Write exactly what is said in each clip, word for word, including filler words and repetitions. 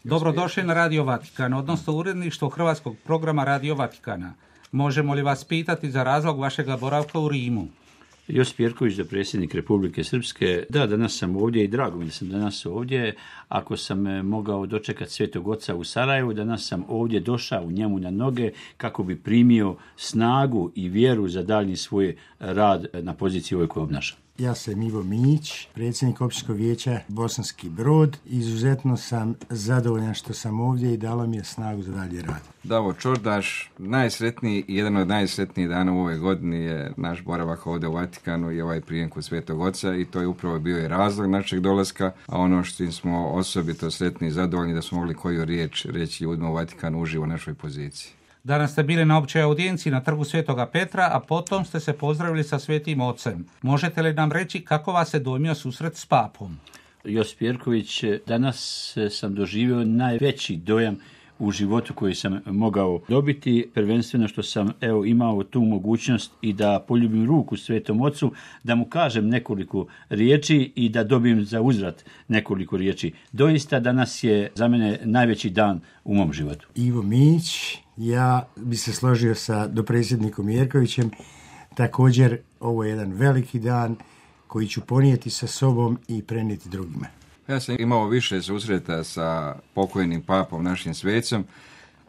Dobrodošli na Radio Vatikan, odnosno uredništvo hrvatskog programa Radio Vatikana. Možemo li vas pitati za razlog vašeg boravka u Rimu? Josip Jerković, da predsjednik Republike Srpske. Da, danas sam ovdje i drago mi da sam danas ovdje. Ako sam mogao dočekati Svetog Oca u Sarajevu, danas sam ovdje došao u njemu na noge kako bi primio snagu i vjeru za daljnji svoj rad na poziciji ovoj koju obnašam. Ja sam Ivo Mić, predsjednik Općinskog vijeća Bosanski Brod. Izuzetno sam zadovoljan što sam ovdje i dalo mi je snagu za dalje rad. Davor Čordaš, najsretniji i jedan od najsretnijih dana u ovoj godini je naš boravak ovdje u Vatikanu i ovaj prijem kod Svetog Oca, i to je upravo bio i razlog našeg dolaska, a ono što smo osobito sretni i zadovoljni da smo mogli koju riječ reći ljudima u Vatikanu uživo u našoj poziciji. Danas ste bili na općoj audijenciji na trgu Svetoga Petra, a potom ste se pozdravili sa Svetim Ocem. Možete li nam reći kako vas je dojmio susret s papom? Josip Jerković, danas sam doživio najveći dojam u životu koji sam mogao dobiti, prvenstveno što sam evo imao tu mogućnost i da poljubim ruku Svetom Ocu, da mu kažem nekoliko riječi i da dobijem za uzvrat nekoliko riječi. Doista danas je za mene najveći dan u mom životu. Ivo Mić, ja bi se složio sa dopredsjednikom Jerkovićem. Također, ovo je jedan veliki dan koji ću ponijeti sa sobom i prenijeti drugima. Ja sam imao više susreta sa pokojnim papom, našim svecom,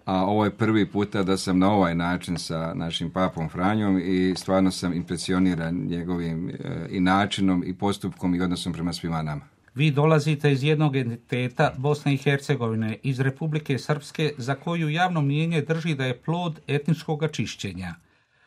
a ovo je prvi puta da sam na ovaj način sa našim papom Franjom i stvarno sam impresioniran njegovim e, i načinom i postupkom i odnosom prema svima nama. Vi dolazite iz jednog entiteta Bosne i Hercegovine, iz Republike Srpske, za koju javno mnijenje drži da je plod etničkog čišćenja.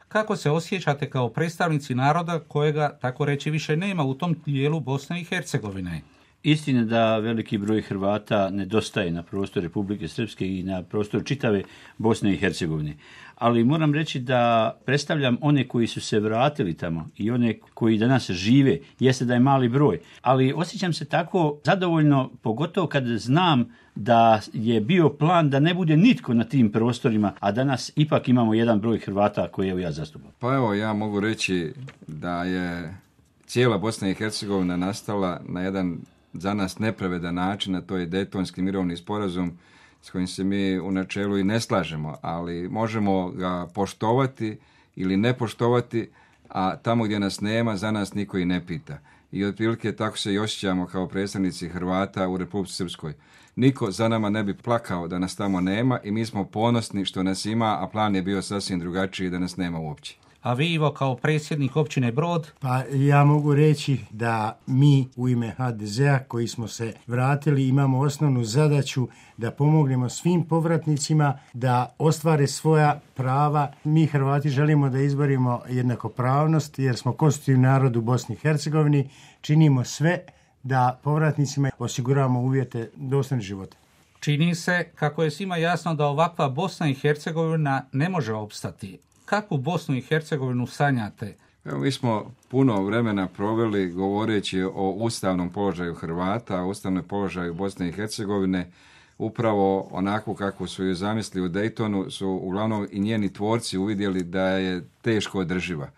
Kako se osjećate kao predstavnici naroda kojega, tako reći, više nema u tom dijelu Bosne i Hercegovine? Istina da veliki broj Hrvata nedostaje na prostoru Republike Srpske i na prostoru čitave Bosne i Hercegovine. Ali moram reći da predstavljam one koji su se vratili tamo i one koji danas žive. Jeste da je mali broj, ali osjećam se tako zadovoljno, pogotovo kad znam da je bio plan da ne bude nitko na tim prostorima, a danas ipak imamo jedan broj Hrvata koje evo ja zastupam. Pa evo, ja mogu reći da je cijela Bosna i Hercegovina nastala na jedan za nas nepravedan način, a to je Dejtonski mirovni sporazum s kojim se mi u načelu i ne slažemo, ali možemo ga poštovati ili ne poštovati, a tamo gdje nas nema, za nas niko i ne pita. I otprilike tako se i osjećamo kao predstavnici Hrvata u Republici Srpskoj. Niko za nama ne bi plakao da nas tamo nema i mi smo ponosni što nas ima, a plan je bio sasvim drugačiji da nas nema uopće. A vi, Ivo, kao predsjednik općine Brod? Pa ja mogu reći da mi u ime ha de zea koji smo se vratili imamo osnovnu zadaću da pomognemo svim povratnicima da ostvare svoja prava. Mi Hrvati želimo da izborimo jednakopravnost jer smo konstitutivni narod u Bosni i Hercegovini. Činimo sve da povratnicima osiguravamo uvjete dostojnog života. Čini se kako je svima jasno da ovakva Bosna i Hercegovina ne može opstati. Kakvu Bosnu i Hercegovinu sanjate? Evo, mi smo puno vremena proveli govoreći o ustavnom položaju Hrvata, o ustavnom položaju Bosne i Hercegovine. Upravo onako kako su ju zamislili u Dejtonu su uglavnom i njeni tvorci uvidjeli da je teško održiva.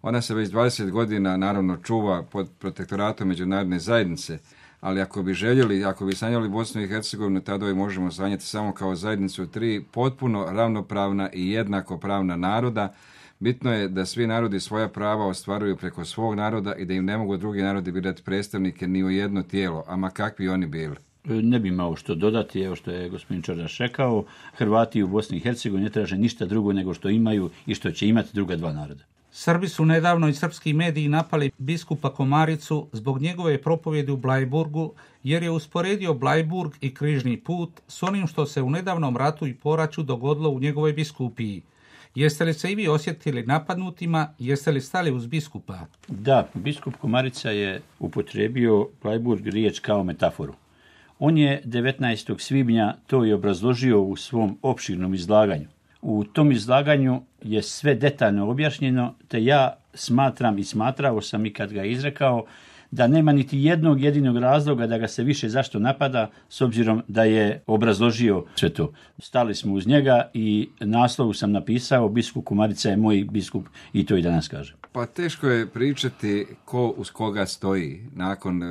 Ona se već dvadeset godina naravno čuva pod protektoratom međunarodne zajednice, ali ako bi željeli, ako bi sanjali Bosnu i Hercegovinu, tada je možemo sanjati samo kao zajednicu tri potpuno ravnopravna i jednakopravna naroda. Bitno je da svi narodi svoja prava ostvaruju preko svog naroda i da im ne mogu drugi narodi birati predstavnike ni u jedno tijelo, ama kakvi oni bili. Ne bi imao što dodati, evo što je gospodin Čordaš rekao, Hrvati u Bosni i Hercegovini ne traže ništa drugo nego što imaju i što će imati druga dva naroda. Srbi su nedavno i srpski mediji napali biskupa Komaricu zbog njegove propovjedi u Blajburgu, jer je usporedio Blajburg i križni put s onim što se u nedavnom ratu i poraću dogodilo u njegovoj biskupiji. Jeste li se i vi osjetili napadnutima, jeste li stali uz biskupa? Da, biskup Komarica je upotrijebio Blajburg riječ kao metaforu. On je devetnaestog svibnja to i obrazložio u svom opširnom izlaganju. U tom izlaganju je sve detaljno objašnjeno, te ja smatram i smatrao sam i kad ga izrekao da nema niti jednog jedinog razloga da ga se više zašto napada, s obzirom da je obrazložio sve to. Stali smo uz njega i naslovu sam napisao biskup Komarica je moj biskup i to i danas kažem. Pa teško je pričati ko uz koga stoji nakon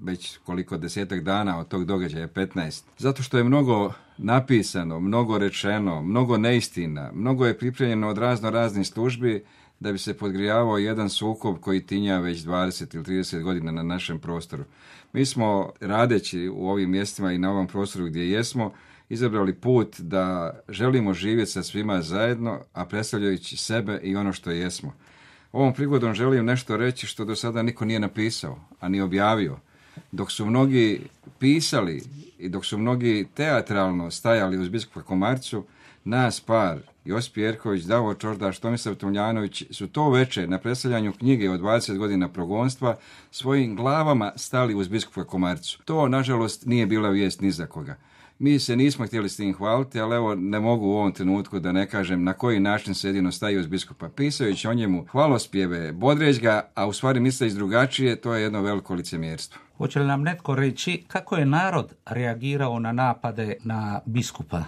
već koliko desetak dana od tog događaja, petnaest. Zato što je mnogo napisano, mnogo rečeno, mnogo neistina, mnogo je pripremljeno od razno raznih službi da bi se podgrijavao jedan sukob koji tinja već dvadeset ili trideset godina na našem prostoru. Mi smo, radeći u ovim mjestima i na ovom prostoru gdje jesmo, izabrali put da želimo živjeti sa svima zajedno, a predstavljajući sebe i ono što jesmo. Ovom prigodom želim nešto reći što do sada niko nije napisao, a ni objavio. Dok su mnogi pisali i dok su mnogi teatralno stajali uz biskupa Komaricu, nas par, Josip Jerković, Davor Čordaš, Tomislav Tomljanović, su to veče na predstavljanju knjige od dvadeset godina progonstva svojim glavama stali uz biskupa Komaricu. To, nažalost, nije bila vijest ni za koga. Mi se nismo htjeli s tim hvaliti, ali evo ne mogu u ovom trenutku da ne kažem na koji način se jedino staje uz biskupa. Pisajući o njemu hvalospjeve, bodreć ga, a u stvari misleći drugačije, to je jedno veliko licemjerstvo. Hoće li nam netko reći kako je narod reagirao na napade na biskupa?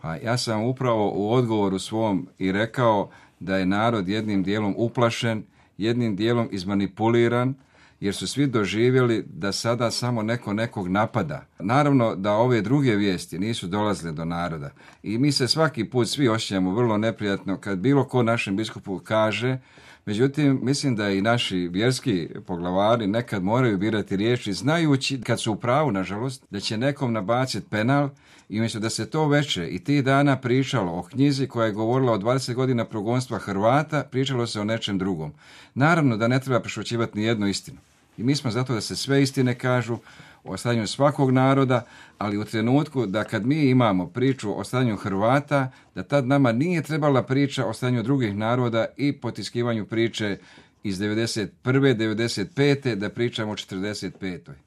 Pa ja sam upravo u odgovoru svom i rekao da je narod jednim dijelom uplašen, jednim dijelom izmanipuliran, jer su svi doživjeli da sada samo neko nekog napada. Naravno da ove druge vijesti nisu dolazile do naroda i mi se svaki put svi osjećamo vrlo neprijatno kad bilo ko našem biskupu kaže. Međutim, mislim da i naši vjerski poglavari nekad moraju birati riječi, znajući, kad su u pravu, nažalost, da će nekom nabaciti penal, i umjesto da se to veče i tih dana pričalo o knjizi koja je govorila o dvadeset godina progonstva Hrvata, pričalo se o nečem drugom. Naravno da ne treba prešućivati ni jednu istinu. I mi smo zato da se sve istine kažu o stanju svakog naroda, ali u trenutku da kad mi imamo priču o stanju Hrvata, da tad nama nije trebala priča o stanju drugih naroda i potiskivanju priče iz devedeset prve. devedeset pete. da pričamo o četrdeset petoj.